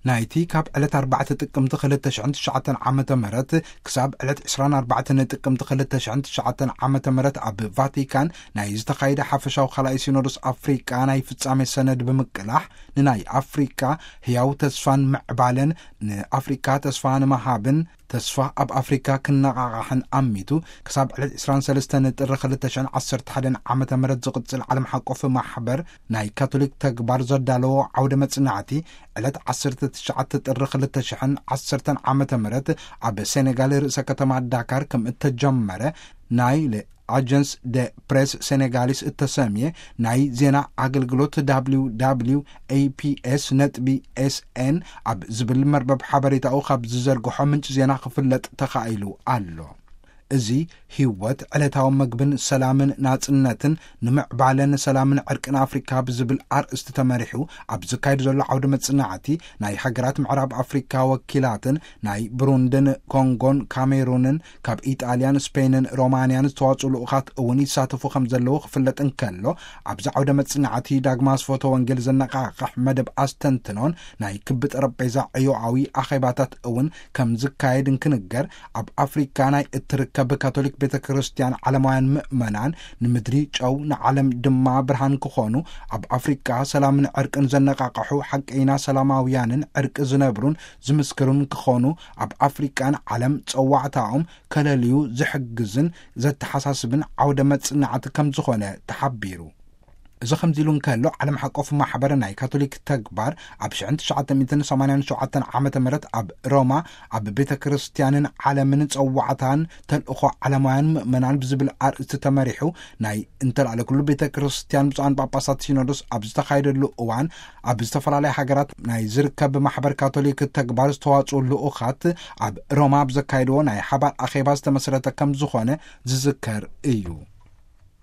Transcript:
ናይቲ ካብ ዕለት ኣርባዕተ ጥቅምቲ ክልተ ሽሕን ትሽዓተን ዓመተ ምህረት ክሳብ ዕለት ዕስራን ኣርባዕተን ጥቅምቲ ክልተ ሽሕን ትሽዓተን ዓመተ ምህረት ኣብ ቫቲካን ናይ ዝተኻየደ ሓፈሻዊ ካልኣይ ሲኖዶስ ኣፍሪቃ ናይ ፍጻሜ ሰነድ ብምቅላሕ፣ ንናይ ኣፍሪቃ ህያው ተስፋን ምዕባለን፣ ንኣፍሪቃ ተስፋ ንምሃብን ተስፋ ኣብ ኣፍሪካ ክነቓቓሕን ኣሚቱ፣ ክሳብ ዕለት ዕስራን ሰለስተን ጥሪ ክልተ ሽሕን ዓሰርተ ሓደን ዓመተ ምህረት ዝቕጽል ዓለም ሓቆፍ ማሕበር ናይ ካቶሊክ ተግባር ዘዳለዎ ዓውደ መጽናዕቲ፣ ዕለት ዓሰርተ ትሽዓተ ጥሪ ክልተ ሽሕን ዓሰርተን ዓመተ ምህረት ኣብ ሴኔጋል ርእሰ ከተማ ዳካር ከም እተጀመረ ናይ ኣጀንስ ደ ፕሬስ ሴኔጋሊስ እተሰምየ ናይ ዜና ኣገልግሎት፣ www.aps.sn ኣብ ዝብል መርበብ ሓበሬታኡ ካብ ዝዘርግሖ ምንጪ ዜና ክፍለጥ ተኻኢሉ ኣሎ። እዚ ህይወት ዕለታዊ መግብን ሰላምን ናጽነትን ንምዕባለን ሰላምን ዕርቅን ኣፍሪካ ብዝብል ኣርእስቲ ተመሪሑ ኣብ ዝካየድ ዘሎ ዓውደ መጽናዕቲ፣ ናይ ሃገራት ምዕራብ ኣፍሪካ ወኪላትን ናይ ብሩንድን ኮንጎን ካሜሩንን ካብ ኢጣልያን፣ ስፔንን ሮማንያን ዝተዋጽኡ ልኡኻት እውን ይሳተፉ ከም ዘለዉ ክፍለጥ እንከሎ፣ ኣብዚ ዓውደ መጽናዕቲ ዳግማ ስፎተ ወንጌል ዘነቓቕሕ መደብ ኣስተንትኖን ናይ ክቢ ጠረጴዛ ዕዮኣዊ ኣኼባታት እውን ከም ዝካየድ እንክንገር፣ ኣብ ኣፍሪካ ናይ እትርከብ ካቶሊክ ቤተ ክርስቲያን ዓለማውያን ምእመናን ንምድሪ ጨው ንዓለም ድማ ብርሃን ክኾኑ፣ ኣብ ኣፍሪካ ሰላምን ዕርቅን ዘነቓቕሑ ሓቀይና ሰላማውያንን ዕርቂ ዝነብሩን ዝምስክሩን ክኾኑ፣ ኣብ ኣፍሪቃን ዓለም ጸዋዕታኦም ከለልዩ ዝሕግዝን ዘተሓሳስብን ዓውደ መጽናዕቲ ከም ዝኾነ ተሓቢሩ። እዚ ከምዚ ኢሉ እንከሎ፣ ዓለም ሓቆፍ ማሕበር ናይ ካቶሊክ ተግባር ኣብ ሽሕን ትሽዓተ ሚእትን ሰማንያን ሸውዓተን ዓመተ ምህረት ኣብ ሮማ ኣብ ቤተ ክርስቲያንን ዓለምን ጸዋዕታን ተልእኾ ዓለማውያን ምእመናን ብዝብል ኣርእስቲ ተመሪሑ ናይ እንተላዕለ ኩሉ ቤተ ክርስቲያን ብፁዓን ጳጳሳት ሲኖዶስ ኣብ ዝተኻየደሉ እዋን፣ ኣብ ዝተፈላለያ ሃገራት ናይ ዝርከብ ማሕበር ካቶሊክ ተግባር ዝተዋጽኡ ልኡኻት ኣብ ሮማ ኣብ ዘካየድዎ ናይ ሓባር ኣኼባ ዝተመስረተ ከም ዝኾነ ዝዝከር እዩ።